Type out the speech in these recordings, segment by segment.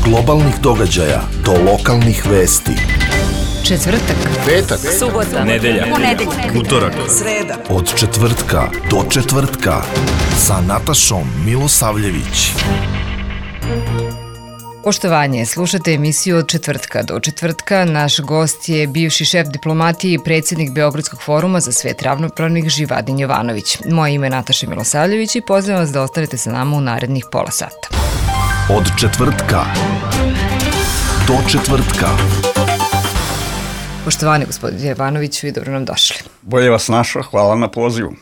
globalnih događaja do lokalnih vesti. Četvrtak, petak, subota, nedelja, utorak, sreda. Od četvrtka do četvrtka sa Natašom Milosavljević. Poštovanje, slušate emisiju Od četvrtka do četvrtka. Naš gost je bivši šef diplomatije i predsjednik Beogradskog foruma za svet ravnopravnih Živadin Jovanović. Moje ime je Nataša Milosavljević i pozivam vas da ostanete sa nama u narednih pola sata. Od četvrtka do četvrtka. Poštovani gospodin Jovanoviću i dobro nam došli. Bolje vas našao, hvala na pozivu.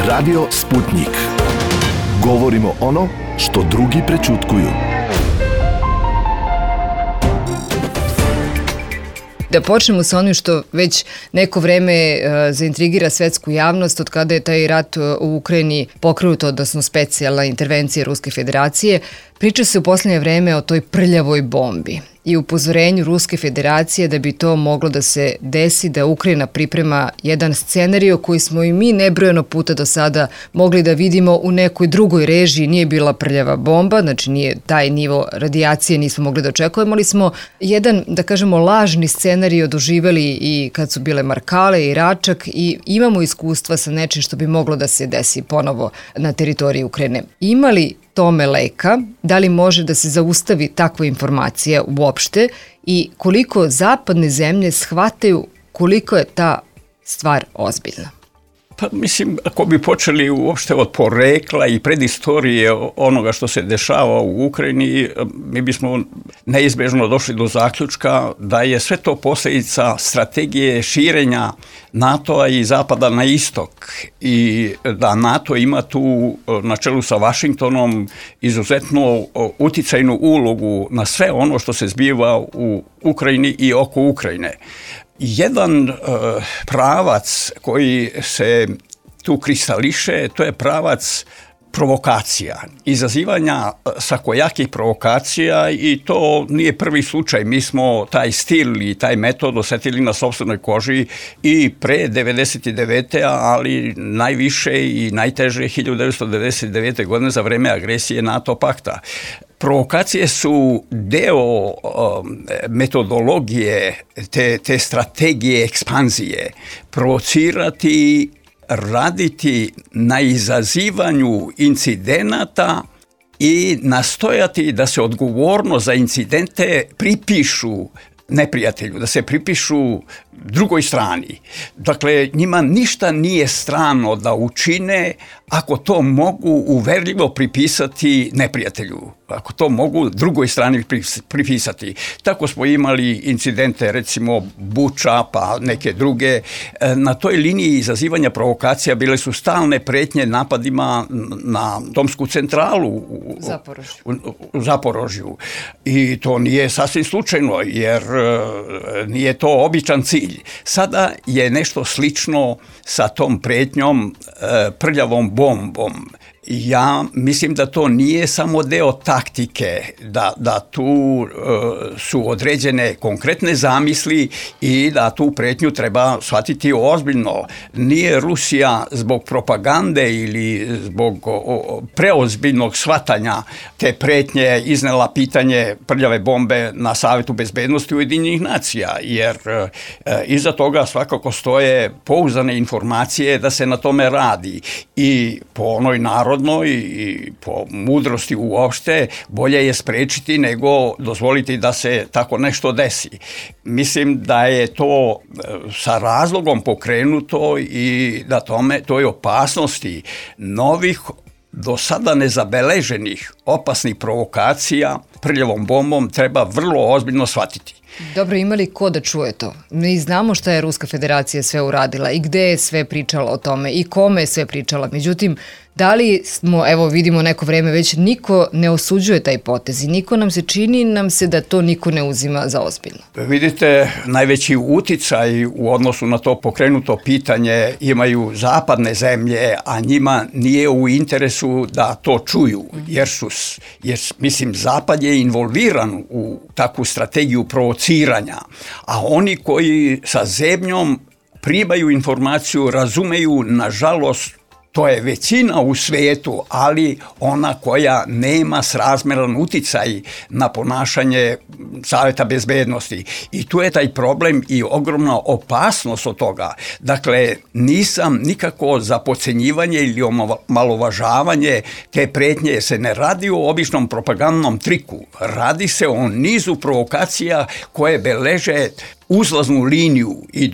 Radio Sputnik. Govorimo ono što drugi prećutkuju. Da počnemo sa onim što već neko vreme zaintrigira svetsku javnost od kada je taj rat u Ukrajini pokrenut, odnosno specijalna intervencija Ruske federacije. Priča se u posljednje vreme o toj prljavoj bombi i upozorenju Ruske federacije da bi to moglo da se desi, da Ukrajina priprema jedan scenario koji smo i mi nebrojeno puta do sada mogli da vidimo u nekoj drugoj režiji. Nije bila prljava bomba, znači nije taj nivo radijacije nismo mogli da očekujemo, ali smo jedan, da kažemo, lažni scenario doživeli i kad su bile Markale i Račak i imamo iskustva sa nečim što bi moglo da se desi ponovo na teritoriji Ukrajine. Ima li tome leka, da li može da se zaustavi takva informacija uopšte i koliko zapadne zemlje shvataju koliko je ta stvar ozbiljna? Pa mislim, ako bi počeli uopšte od porekla i predistorije onoga što se dešava u Ukrajini, mi bismo neizbježno došli do zaključka da je sve to posljedica strategije širenja NATO-a i zapada na istok i da NATO ima tu na čelu sa Vašingtonom izuzetno uticajnu ulogu na sve ono što se zbiva u Ukrajini i oko Ukrajine. Jedan pravac koji se tu kristališe, to je pravac provokacija, izazivanja svakojakih provokacija i to nije prvi slučaj. Mi smo taj stil i taj metod osjetili na sopstvenoj koži i pre 1999. ali najviše i najteže 1999. godine za vreme agresije NATO pakta. Provokacije su deo metodologije te strategije ekspanzije. Provocirati, raditi na izazivanju incidenata i nastojati da se odgovornost za incidente pripišu neprijatelju, da se pripišu drugoj strani. Dakle, njima ništa nije strano da učine ako to mogu uverljivo pripisati neprijatelju, ako to mogu drugoj strani pripisati. Tako smo imali incidente, recimo Buča, pa neke druge. Na toj liniji izazivanja provokacija bile su stalne pretnje napadima na domsku centralu u Zaporožju. I to nije sasvim slučajno, jer nije to običan cilj. Sada je nešto slično sa tom pretnjom prljavom bombom. Ja mislim da to nije samo deo taktike, da tu su određene konkretne zamisli i da tu pretnju treba shvatiti ozbiljno. Nije Rusija zbog propagande ili zbog preozbiljnog shvatanja te pretnje iznela pitanje prljave bombe na Savetu bezbednosti Ujedinjenih nacija, jer iza toga svakako stoje pouzdane informacije da se na tome radi i po onoj narodnoj i po mudrosti uopšte bolje je sprečiti nego dozvoliti da se tako nešto desi. Mislim da je to sa razlogom pokrenuto i da toj opasnosti novih do sada nezabeleženih opasnih provokacija prljavom bombom treba vrlo ozbiljno shvatiti. Dobro, ima li ko da čuje to? Mi znamo šta je Ruska federacija sve uradila i gde je sve pričala o tome i kome je sve pričala. Međutim, Da li smo, evo vidimo neko vreme već, niko ne osuđuje taj potez i čini nam se da to niko ne uzima za ozbiljno? Vidite, najveći uticaj u odnosu na to pokrenuto pitanje imaju zapadne zemlje, a njima nije u interesu da to čuju, jer mislim, Zapad je involviran u takvu strategiju provociranja, a oni koji sa zebnjom primaju informaciju, razumeju, nažalost, to je većina u svijetu, ali ona koja nema srazmjeran uticaj na ponašanje Saveta bezbednosti. I tu je taj problem i ogromna opasnost od toga. Dakle, nisam nikako za podcenjivanje ili omalovažavanje te pretnje. Se ne radi o običnom propagandnom triku. Radi se o nizu provokacija koje beleže uzlaznu liniju i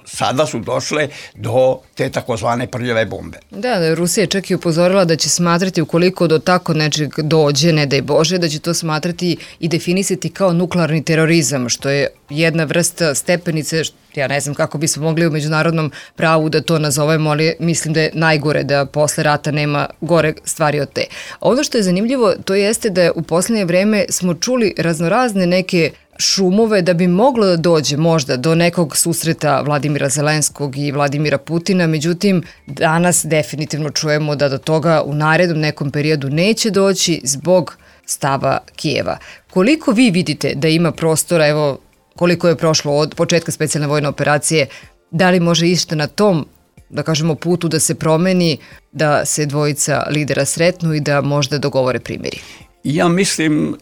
sada su došle do te takozvane prljave bombe. Da, Rusija je čak i upozorila da će smatrati, ukoliko do tako nečeg dođe, ne daj Bože, da će to smatrati i definisati kao nuklearni terorizam, što je jedna vrsta stepenice, ja ne znam kako bismo mogli u međunarodnom pravu da to nazovemo, ali mislim da je najgore, da posle rata nema gore stvari od te. Ono što je zanimljivo, to jeste da u posljednje vreme smo čuli raznorazne neke šumove da bi moglo da dođe možda do nekog susreta Vladimira Zelenskog i Vladimira Putina, međutim danas definitivno čujemo da do toga u narednom nekom periodu neće doći zbog stava Kijeva. Koliko vi vidite da ima prostora, evo koliko je prošlo od početka specijalne vojne operacije, da li može išta na tom, da kažemo, putu da se promeni, da se dvojica lidera sretnu i da možda dogovore primjeri? Ja mislim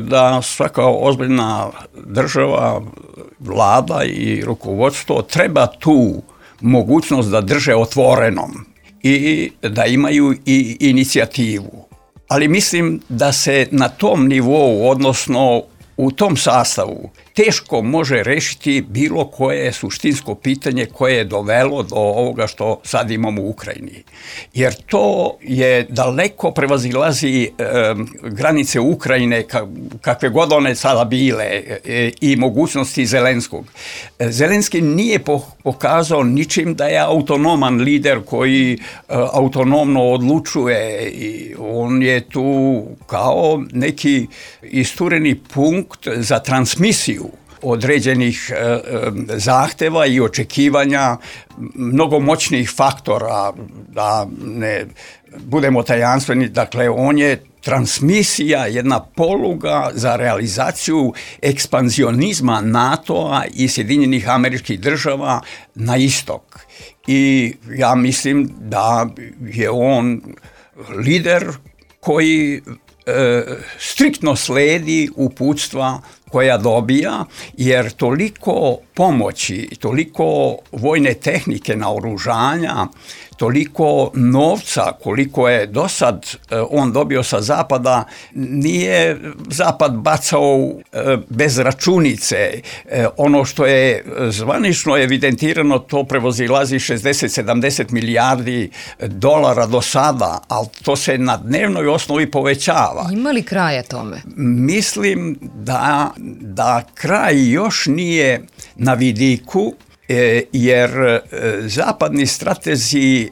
da svaka ozbiljna država, vlada i rukovodstvo treba tu mogućnost da drže otvorenom i da imaju i inicijativu. Ali mislim da se na tom nivou, odnosno u tom sastavu, teško može rešiti bilo koje suštinsko pitanje koje je dovelo do ovoga što sad imamo u Ukrajini. Jer to je daleko prevazilazi granice Ukrajine, kakve god one sada bile, i mogućnosti Zelenskog. Zelenski nije pokazao ničim da je autonoman lider koji autonomno odlučuje. I on je tu kao neki istureni punkt za transmisiju određenih zahteva i očekivanja mnogo moćnih faktora, da ne budemo tajanstveni. Dakle, on je transmisija, jedna poluga za realizaciju ekspanzionizma NATO-a i Sjedinjenih Američkih Država na istok. I ja mislim da je on lider koji striktno sledi uputstva koja dobija, jer toliko pomoći, toliko vojne tehnike, naoružanja, toliko novca koliko je do sad on dobio sa Zapada, nije Zapad bacao bez računice. Ono što je zvanično evidentirano, to prevazilazi 60-70 milijardi dolara do sada, ali to se na dnevnoj osnovi povećava. Ima li kraja tome? Mislim da kraj još nije na vidiku, jer zapadni stratezi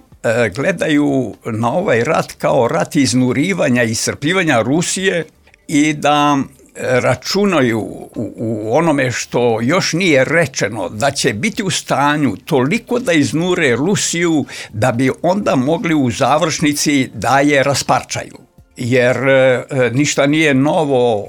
gledaju na ovaj rat kao rat iznurivanja i iscrpljivanja Rusije i da računaju u onome što još nije rečeno, da će biti u stanju toliko da iznure Rusiju da bi onda mogli u završnici da je rasparčaju. Jer ništa nije novo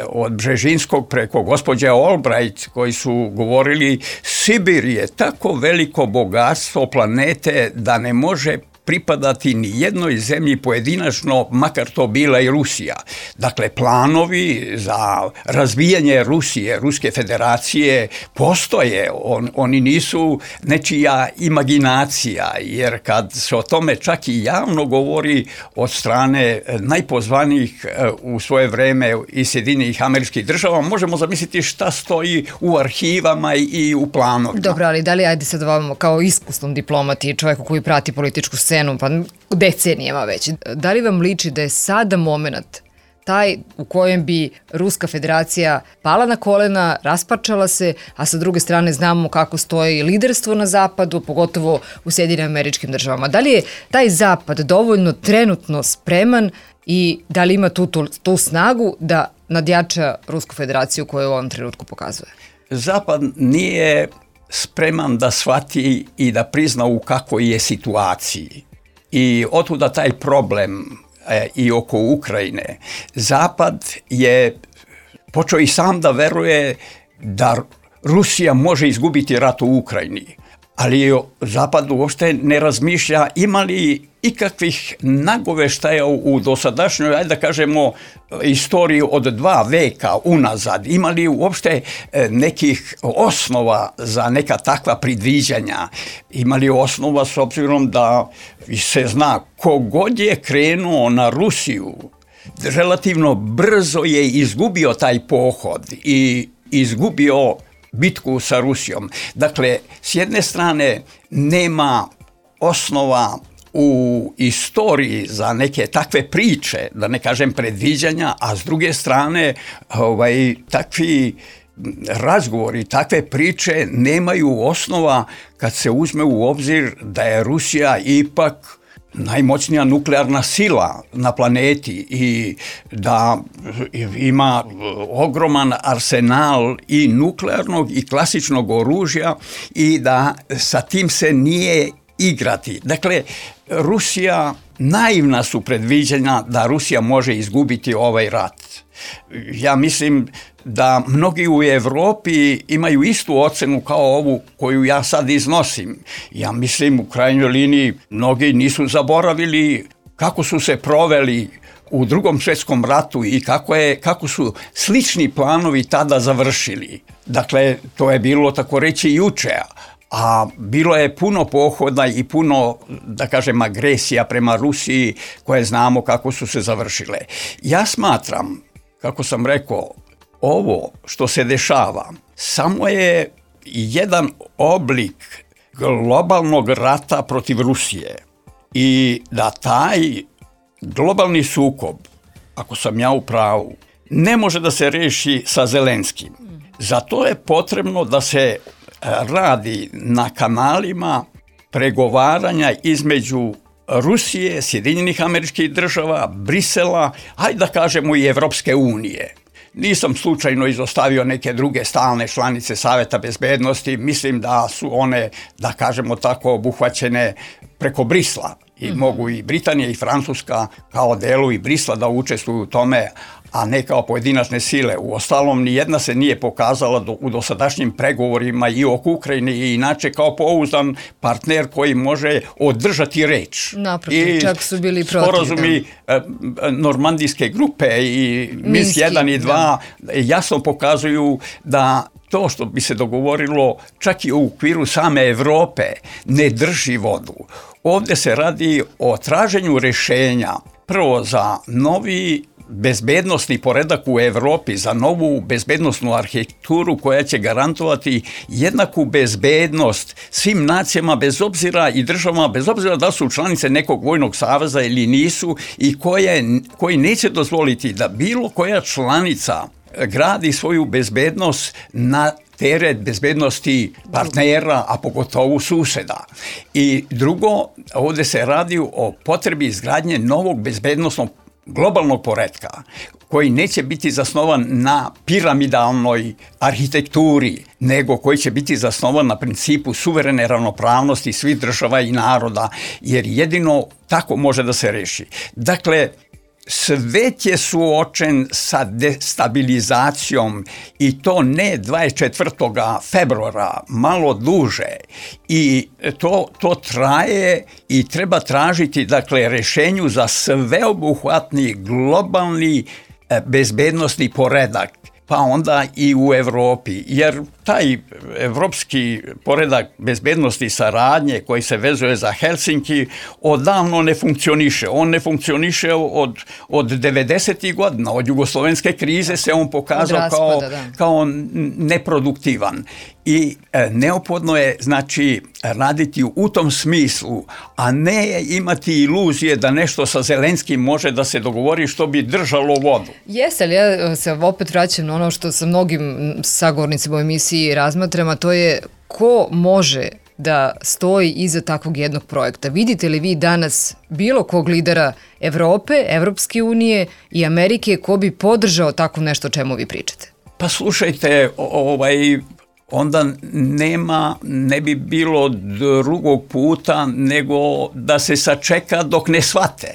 od Bžežinskog preko gospođe Albright koji su govorili Sibir je tako veliko bogatstvo planete da ne može pripadati ni jednoj zemlji pojedinačno, makar to bila i Rusija. Dakle, planovi za razvijanje Rusije, Ruske federacije postoje. Oni nisu nečija imaginacija, jer kad se o tome čak i javno govori od strane najpozvanijih u svoje vreme iz Sjedinjenih Američkih Država, možemo zamisliti šta stoji u arhivama i u planovima. Dobro, ali da li, ajde sad vam kao iskusnom diplomati i čovjeku koji prati političku scenu, pa decenijama već, da li vam liči da je sada moment taj u kojem bi Ruska federacija pala na kolena, rasparčala se, a sa druge strane znamo kako stoji liderstvo na zapadu, pogotovo u Sjedinjenim Američkim Državama. Da li je taj zapad dovoljno trenutno spreman i da li ima tu snagu da nadjača Rusku federaciju koju u ovom trenutku pokazuje? Zapad nije spreman da shvati i da prizna u kakvoj je situaciji. I otuda taj problem i oko Ukrajine. Zapad je počeo i sam da veruje da Rusija može izgubiti rat u Ukrajini, ali Zapad uopšte ne razmišlja ima li ikakvih nagoveštaja u dosadašnjoj, ajde da kažemo, istoriji od 2 veka unazad. Ima li uopšte nekih osnova za neka takva predviđanja? Ima li osnova s obzirom da se zna kogod je krenuo na Rusiju, relativno brzo je izgubio taj pohod i izgubio bitku sa Rusijom. Dakle, s jedne strane nema osnova u istoriji za neke takve priče, da ne kažem predviđanja, a s druge strane takvi razgovori, takve priče nemaju osnova kad se uzme u obzir da je Rusija ipak najmoćnija nuklearna sila na planeti i da ima ogroman arsenal i nuklearnog i klasičnog oružja i da sa tim se nije igrati. Dakle, Rusija, naivna su predviđanja da Rusija može izgubiti ovaj rat. Ja mislim da mnogi u Evropi imaju istu ocenu kao ovu koju ja sad iznosim. Ja mislim u krajnjoj liniji mnogi nisu zaboravili kako su se proveli u Drugom svjetskom ratu i kako su slični planovi tada završili. Dakle, to je bilo tako reći juče, a bilo je puno pohoda i puno, da kažem, agresija prema Rusiji koje znamo kako su se završile. Ja smatram, kako sam rekao, ovo što se dešava samo je jedan oblik globalnog rata protiv Rusije i da taj globalni sukob, ako sam ja u pravu, ne može da se reši sa Zelenskim. Zato je potrebno da se radi na kanalima pregovaranja između Rusije, Sjedinjenih Američkih Država, Brisela, hajde da kažemo i Evropske unije. Nisam slučajno izostavio neke druge stalne članice Saveta bezbednosti, mislim da su one, da kažemo tako, obuhvaćene preko Brisla. I mogu i Britanija i Francuska kao delovi Brisla da učestvuju u tome, a ne kao pojedinačne sile. Uostalom, nijedna se nije pokazala u dosadašnjim pregovorima i oko Ukrajine i inače kao pouzdan partner koji može održati reč. Naprotiv, čak su bili protiv. Sporazumi normandijske grupe i Minsk 1 i 2 jasno pokazuju da to što bi se dogovorilo čak i u okviru same Evrope ne drži vodu. Ovdje se radi o traženju rješenja prvo za novi bezbednosni poredak u Evropi, za novu bezbednosnu arhitekturu koja će garantovati jednaku bezbednost svim nacijama bez obzira i državama, bez obzira da su članice nekog vojnog saveza ili nisu i koji neće dozvoliti da bilo koja članica gradi svoju bezbednost na teret bezbednosti partnera, a pogotovo suseda. I drugo, ovdje se radi o potrebi izgradnje novog bezbednosnog globalnog poretka koji neće biti zasnovan na piramidalnoj arhitekturi, nego koji će biti zasnovan na principu suverene ravnopravnosti svih država i naroda, jer jedino tako može da se reši. Dakle, svet je suočen sa destabilizacijom i to ne 24. februara, malo duže. I to traje i treba tražiti, dakle, rešenju za sveobuhvatni globalni bezbednosni poredak, pa onda i u Evropi, jer taj evropski poredak bezbednosti i saradnje koji se vezuje za Helsinki odavno ne funkcioniše. On ne funkcioniše od 90. godina, od jugoslovenske krize se on pokazao kao neproduktivan. I neophodno je, znači, raditi u tom smislu, a ne imati iluzije da nešto sa Zelenskim može da se dogovori što bi držalo vodu. Jeste, ali ja se opet vraćam na ono što sa mnogim sagovornicima u emisiji razmatram, a to je ko može da stoji iza takvog jednog projekta. Vidite li vi danas bilo kog lidera Evrope, Evropske unije i Amerike ko bi podržao tako nešto o čemu vi pričate? Pa slušajte, onda ne bi bilo drugog puta nego da se sačeka dok ne shvate.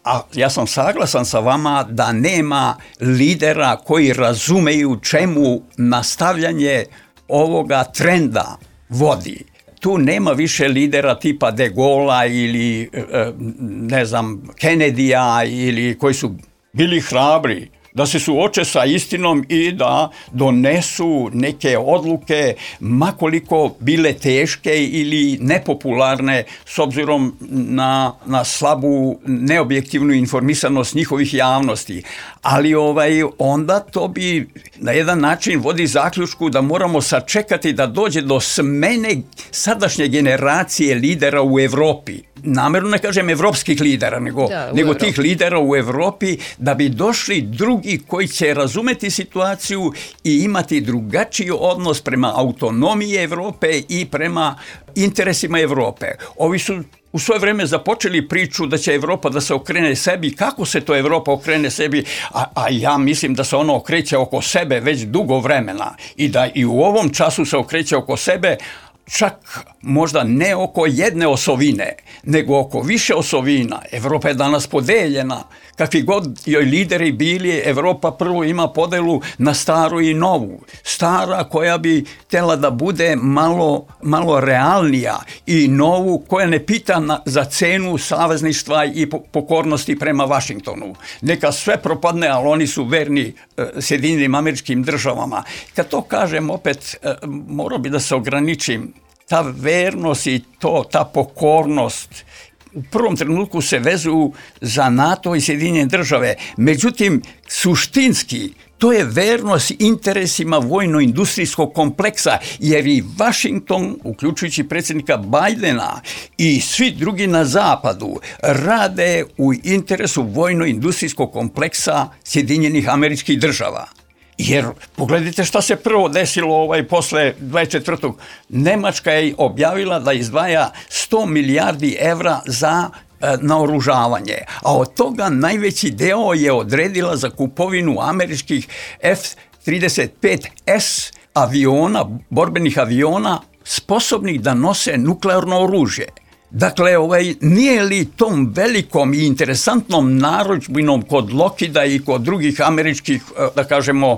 A ja sam saglasan sa vama da nema lidera koji razumeju čemu nastavljanje ovoga trenda vodi. Tu nema više lidera tipa De Gaulea ili ne znam Kennedyja ili koji su bili hrabri da se suoče sa istinom i da donesu neke odluke, makoliko bile teške ili nepopularne s obzirom na slabu, neobjektivnu informisanost njihovih javnosti. Ali onda to bi na jedan način vodi zaključku da moramo sačekati da dođe do smene sadašnje generacije lidera u Evropi. Namerno ne kažem evropskih lidera, nego tih lidera u Evropi, da bi došli drugi koji će razumeti situaciju i imati drugačiji odnos prema autonomiji Evrope i prema interesima Evrope. Ovi su u svoje vreme započeli priču da će Evropa da se okrene sebi. Kako se to Evropa okrene sebi? A ja mislim da se ona okreće oko sebe već dugo vremena i da i u ovom času se okreće oko sebe, čak možda ne oko jedne osovine, nego oko više osovina. Evropa je danas podeljena. Kakvi god joj lideri bili, Evropa prvo ima podelu na staru i novu. Stara koja bi htjela da bude malo realnija i novu koja ne pita za cenu savezništva i pokornosti prema Vašingtonu. Neka sve propadne, ali oni su verni Sjedinjenim Američkim Državama. Kad to kažem, opet morao bi da se ograničim. Ta vernost i ta pokornost u prvom trenutku se vezuju za NATO i Sjedinjene Države. Međutim, suštinski, to je vernost interesima vojno-industrijskog kompleksa, jer i Vašington, uključujući predsjednika Bajdena i svi drugi na zapadu, rade u interesu vojno-industrijskog kompleksa Sjedinjenih Američkih Država. Jer pogledajte šta se prvo desilo posle 24. Nemačka je objavila da izdvaja 100 milijardi evra za naoružavanje, a od toga najveći deo je odredila za kupovinu američkih F-35S aviona, borbenih aviona, sposobnih da nose nuklearno oružje. Dakle, nije li tom velikom i interesantnom narudžbinom kod Lockheeda i kod drugih američkih, da kažemo,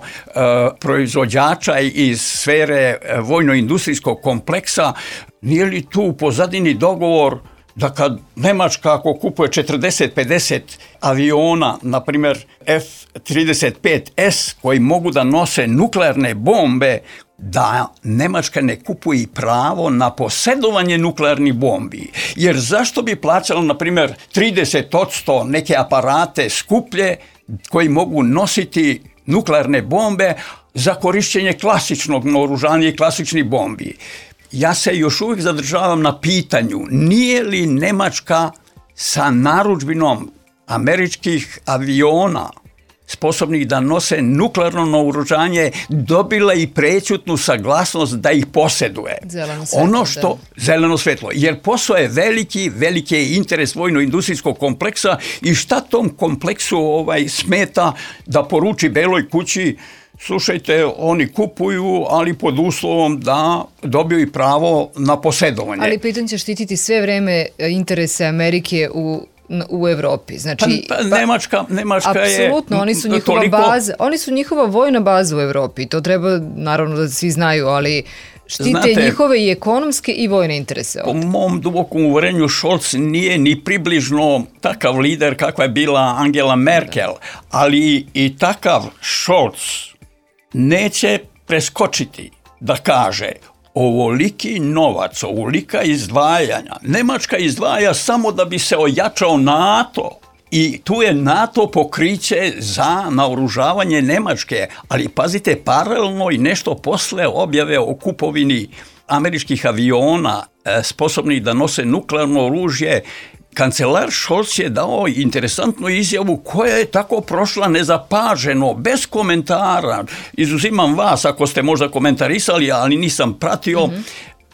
proizvođača iz sfere vojno-industrijskog kompleksa, nije li tu u pozadini dogovor da kad Nemačka ako kupuje 40-50 aviona, na primjer F-35S, koji mogu da nose nuklearne bombe, da Nemačka ne kupuje pravo na posjedovanje nuklearnih bombi. Jer zašto bi plaćala, na primjer, 30% neke aparate skuplje koji mogu nositi nuklearne bombe za korišćenje klasičnog naoružanja i klasičnih bombi? Ja se još uvijek zadržavam na pitanju, nije li Nemačka sa narudžbinom američkih aviona sposobnih da nose nuklearno naoružanje dobila i prećutnu saglasnost da ih posjeduje. Zeleno svetlo. Jer posao je veliki je interes vojno-industrijskog kompleksa i šta tom kompleksu smeta da poruči Beloj kući: slušajte, oni kupuju, ali pod uslovom da dobiju i pravo na posjedovanje. Ali pritom će štititi sve vreme interese Amerike u Evropi. Znači, Nemačka je apsolutno, oni su njihova vojna baza u Evropi. To treba, naravno, da svi znaju, ali štite njihove i ekonomske i vojne interese. Po mom dubokom uverenju, Scholz nije ni približno takav lider kakva je bila Angela Merkel, ali i takav Scholz neće preskočiti da kaže: ovoliki novac, ovolika izdvajanja. Nemačka izdvaja samo da bi se ojačao NATO I tu je NATO pokriće za naoružavanje Nemačke, ali pazite, paralelno i nešto posle objave o kupovini američkih aviona sposobnih da nose nuklearno oružje. Kancelar Scholz je dao interesantnu izjavu koja je tako prošla nezapaženo, bez komentara. Izuzimam vas ako ste možda komentarisali, ali nisam pratio.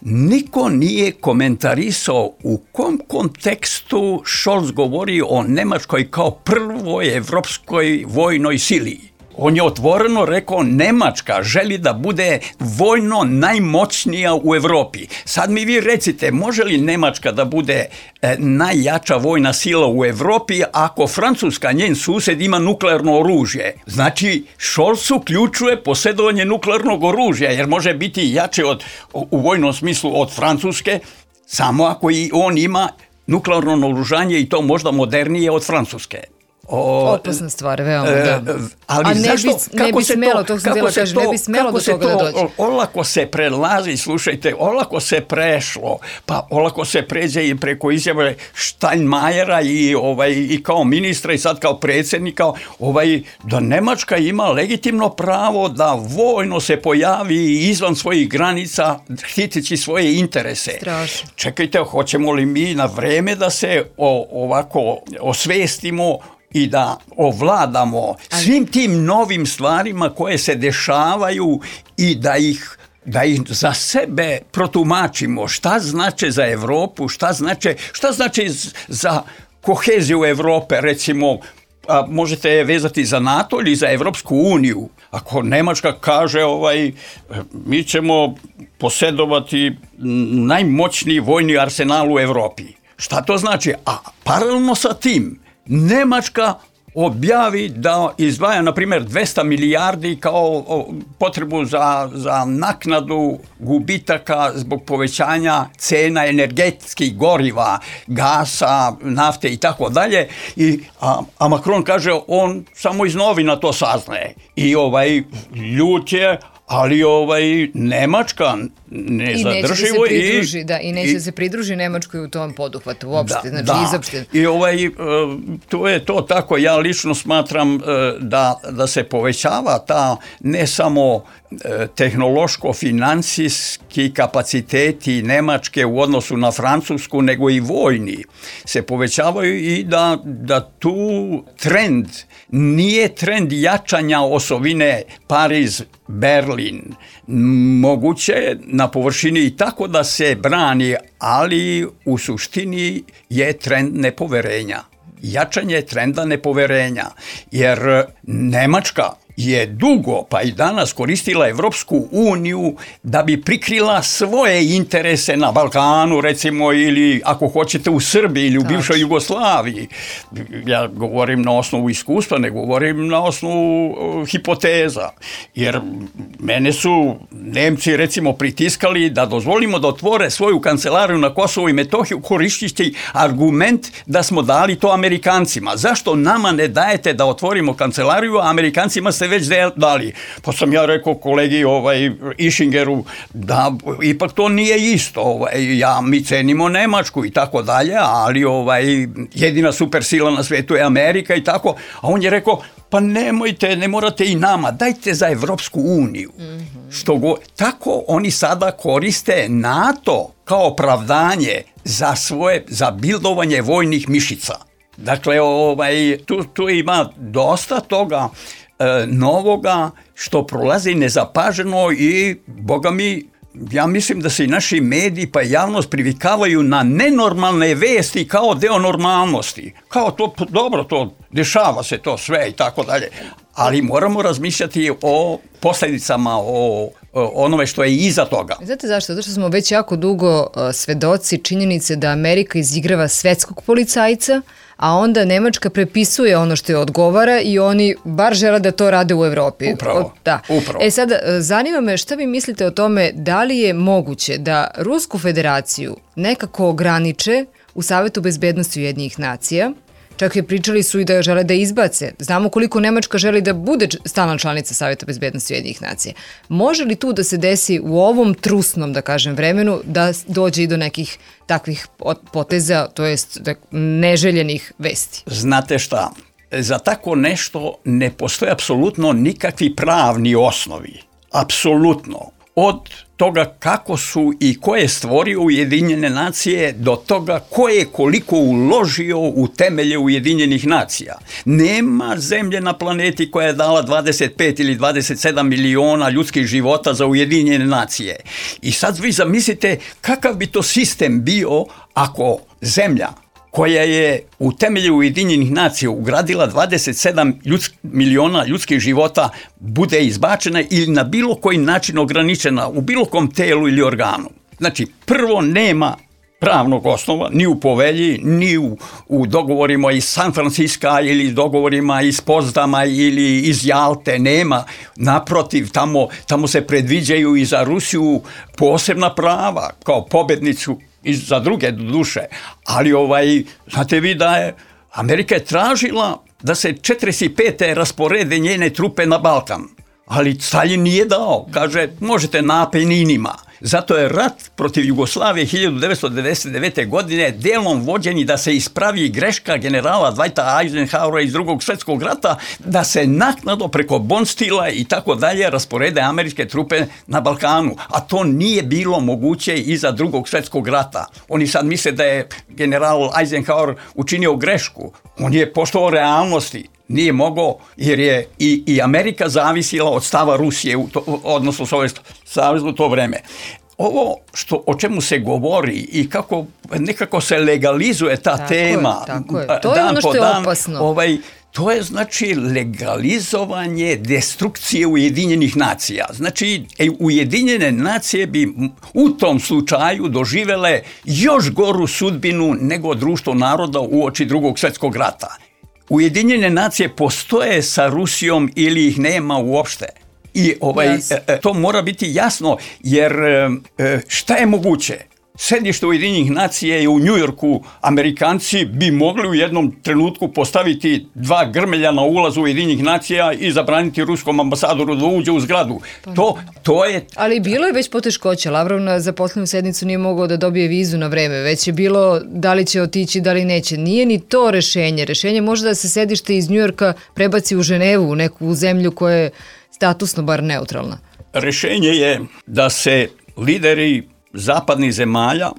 Niko nije komentarisao u kom kontekstu Scholz govori o Nemačkoj kao prvoj evropskoj vojnoj sili. On je otvoreno rekao Nemačka želi da bude vojno najmoćnija u Evropi. Sad mi vi recite, može li Nemačka da bude najjača vojna sila u Evropi ako Francuska, njen sused, ima nuklearno oružje? Znači, Scholz uključuje posjedovanje nuklearnog oružja, jer može biti jače u vojnom smislu od Francuske, samo ako i on ima nuklearno naoružanje i to možda modernije od Francuske. Opasna stvar, veoma, da. Ali zašto, ne bi smelo, to sam htjela kažem, ne bi smelo do toga da dođe. Olako se prelazi, slušajte, olako se prešlo, pa olako se pređe i preko izjave Steinmeiera i kao ministra i sad kao predsjednika, da Nemačka ima legitimno pravo da vojno se pojavi izvan svojih granica, štiteći svoje interese. Strašno. Čekajte, hoćemo li mi na vreme da se ovako osvestimo i da ovladamo svim tim novim stvarima koje se dešavaju i da ih za sebe protumačimo, šta znači za Evropu, šta znači za koheziju Evrope, recimo, možete je vezati za NATO ili za Evropsku uniju. Ako Nemačka kaže mi ćemo posjedovati najmoćniji vojni arsenal u Evropi. Šta to znači? A paralelno sa tim Nemačka objavi da izdvaja, na primjer, 200 milijardi kao potrebu za naknadu gubitaka zbog povećanja cena energetskih goriva, gasa, nafte i tako dalje. A Macron kaže, on samo iz novina to saznaje. I ljut je, ali Nemačka ne zadrživo i neće se pridruži Nemačkoj u tom poduhvatu uopšte, izopšte. I to je to tako. Ja lično smatram da se povećava ta ne samo tehnološko-financijski kapaciteti Nemačke u odnosu na Francusku, nego i vojni se povećavaju i da tu trend nije trend jačanja osovine Pariz-Berlin. Moguće na površini i tako da se brani, ali u suštini je trend nepoverenja. Jačanje trenda nepoverenja, jer Nemačka je dugo, pa i danas, koristila Evropsku uniju da bi prikrila svoje interese na Balkanu, recimo, ili ako hoćete u Srbiji ili u bivšoj Jugoslaviji. Ja govorim na osnovu iskustva, ne govorim na osnovu hipoteza. Jer mene su Nemci, recimo, pritiskali da dozvolimo da otvore svoju kancelariju na Kosovu i Metohiju koristeći argument da smo dali to Amerikancima. Zašto nama ne dajete da otvorimo kancelariju, a Amerikancima ste već dali? Pa sam ja rekao kolegi Ischingeru da ipak to nije isto. Mi cenimo Nemačku i tako dalje, ali jedina supersila na svijetu je Amerika i tako. A on je rekao, pa nemojte, ne morate i nama, dajte za Evropsku uniju. Tako oni sada koriste NATO kao opravdanje za bildovanje vojnih mišica. Dakle, tu ima dosta toga novoga što prolazi nezapaženo i, boga mi, ja mislim da se i naši mediji pa javnost privikavaju na nenormalne vesti kao deo normalnosti. Kao to, dobro, to dešava se to sve i tako dalje. Ali moramo razmišljati o posljedicama, o onome što je iza toga. Znate zašto? Zato što smo već jako dugo svedoci činjenice da Amerika izigrava svetskog policajca, a onda Nemačka prepisuje ono što je odgovara i oni bar žele da to rade u Evropi. Upravo. Sad, zanima me šta vi mislite o tome, da li je moguće da Rusku federaciju nekako ograniče u Savetu bezbednosti Ujedinjenih nacija, čak i pričali su i da žele da izbace. Znamo koliko Nemačka želi da bude stalna članica Saveta bezbednosti Ujedinjenih nacija. Može li tu da se desi u ovom trusnom, da kažem, vremenu, da dođe i do nekih takvih poteza, to jest neželjenih vesti? Znate šta, za tako nešto ne postoje apsolutno nikakvi pravni osnovi. Apsolutno. Od toga kako su i ko je stvorio Ujedinjene nacije do toga ko je koliko uložio u temelje Ujedinjenih nacija. Nema zemlje na planeti koja je dala 25 ili 27 miliona ljudskih života za Ujedinjene nacije. I sad vi zamislite kakav bi to sistem bio ako zemlja koja je u temelju Ujedinjenih nacija ugradila 27 miliona ljudskih života bude izbačena ili na bilo koji način ograničena u bilo kom telu ili organu. Znači, prvo nema pravnog osnova, ni u povelji, ni u dogovorima iz San Francisca ili dogovorima iz Potsdama ili iz Jalte, nema. Naprotiv, tamo se predviđaju i za Rusiju posebna prava kao pobednicu i za druge duše, ali znate vi da je Amerika je tražila da se 45. rasporede njene trupe na Balkan, ali Staljin nije dao, kaže možete na Apeninima. Zato je rat protiv Jugoslavije 1999. godine delom vođeni da se ispravi greška generala Dwighta Eisenhowera iz Drugog svjetskog rata, da se naknadno preko Bonstila i tako dalje rasporede američke trupe na Balkanu. A to nije bilo moguće iza Drugog svjetskog rata. Oni sad misle da je general Eisenhower učinio grešku. On je poštovao realnosti. Nije mogao jer je i Amerika zavisila od stava Rusije, odnosno Sovjetskog saveza u to vreme. Ovo o čemu se govori i kako nekako se legalizuje ta tema. Tako je. To je ono što je opasno. To je znači legalizovanje destrukcije Ujedinjenih nacija. Znači, Ujedinjene nacije bi u tom slučaju doživele još goru sudbinu nego društvo naroda uoči Drugog svjetskog rata. Ujedinjene nacije postoje sa Rusijom ili ih nema uopšte. I to mora biti jasno, jer šta je moguće? Sedište Ujedinjenih nacija je u Njujorku. Amerikanci bi mogli u jednom trenutku postaviti 2 grmelja na ulazu Ujedinjenih nacija i zabraniti ruskom ambasadoru da uđe u zgradu. To je... Ali bilo je već poteškoća. Lavrov na zaposlenom sednicu nije mogao da dobije vizu na vreme. Već je bilo da li će otići, da li neće. Nije ni to rešenje. Rešenje može da se sedište iz Njujorka prebaci u Ženevu, u neku zemlju koja je statusno bar neutralna. Rešenje je da se lideri zapadnih zemalja,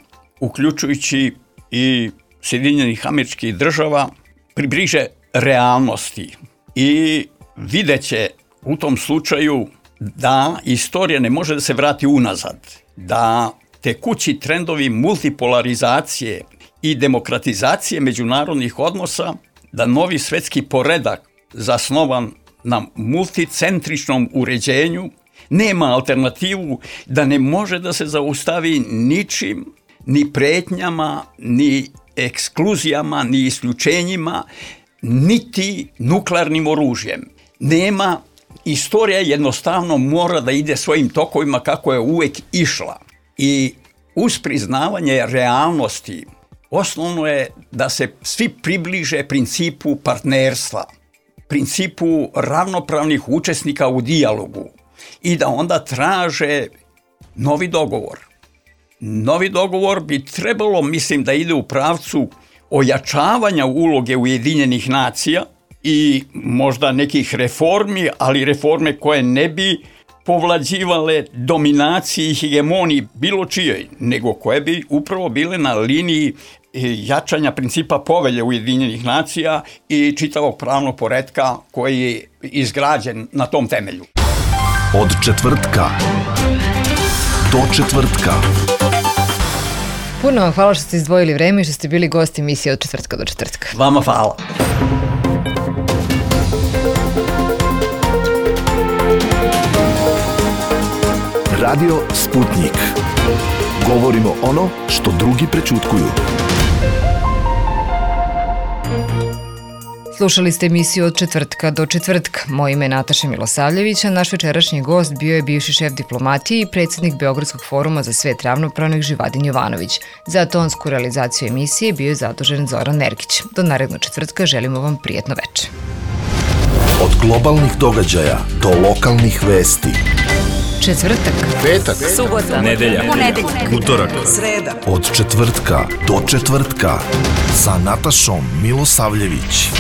uključujući i Sjedinjenih Američkih Država, približe realnosti i videće u tom slučaju da istorija ne može da se vrati unazad, da tekući trendovi multipolarizacije i demokratizacije međunarodnih odnosa, da novi svetski poredak zasnovan na multicentričnom uređenju nema alternativu, da ne može da se zaustavi ničim, ni pretnjama, ni ekskluzijama, ni isključenjima, niti nuklearnim oružjem. Nema, istorija jednostavno mora da ide svojim tokovima kako je uvek išla. I uz priznavanje realnosti, osnovno je da se svi približe principu partnerstva, principu ravnopravnih učesnika u dijalogu i da onda traže novi dogovor. Novi dogovor bi trebalo, mislim, da ide u pravcu ojačavanja uloge Ujedinjenih nacija i možda nekih reformi, ali reforme koje ne bi povlađivale dominaciji i hegemoniji bilo čijoj, nego koje bi upravo bile na liniji jačanja principa povelje Ujedinjenih nacija i čitavog pravnog poretka koji je izgrađen na tom temelju. Od četvrtka do četvrtka. Puno vam hvala što ste izdvojili vreme i što ste bili gosti emisije Od četvrtka do četvrtka. Vama hvala. Radio Sputnik. Govorimo ono što drugi prećutkuju. Slušali ste emisiju Od četvrtka do četvrtka. Moje ime je Nataša Milosavljević, a naš večerašnji gost bio je bivši šef diplomatije i predsjednik Beogradskog foruma za svet ravnopravnih Živadin Jovanović. Za tonsku realizaciju emisije bio je zadužen Zoran Nergić. Do narednog četvrtka želimo vam prijetno večer. Od globalnih događaja do lokalnih vesti. Četvrtak, Petak, subota, nedelja, ponedeljak, utorak, sreda. od četvrtka do četvrtka sa Natašom Milosavljević.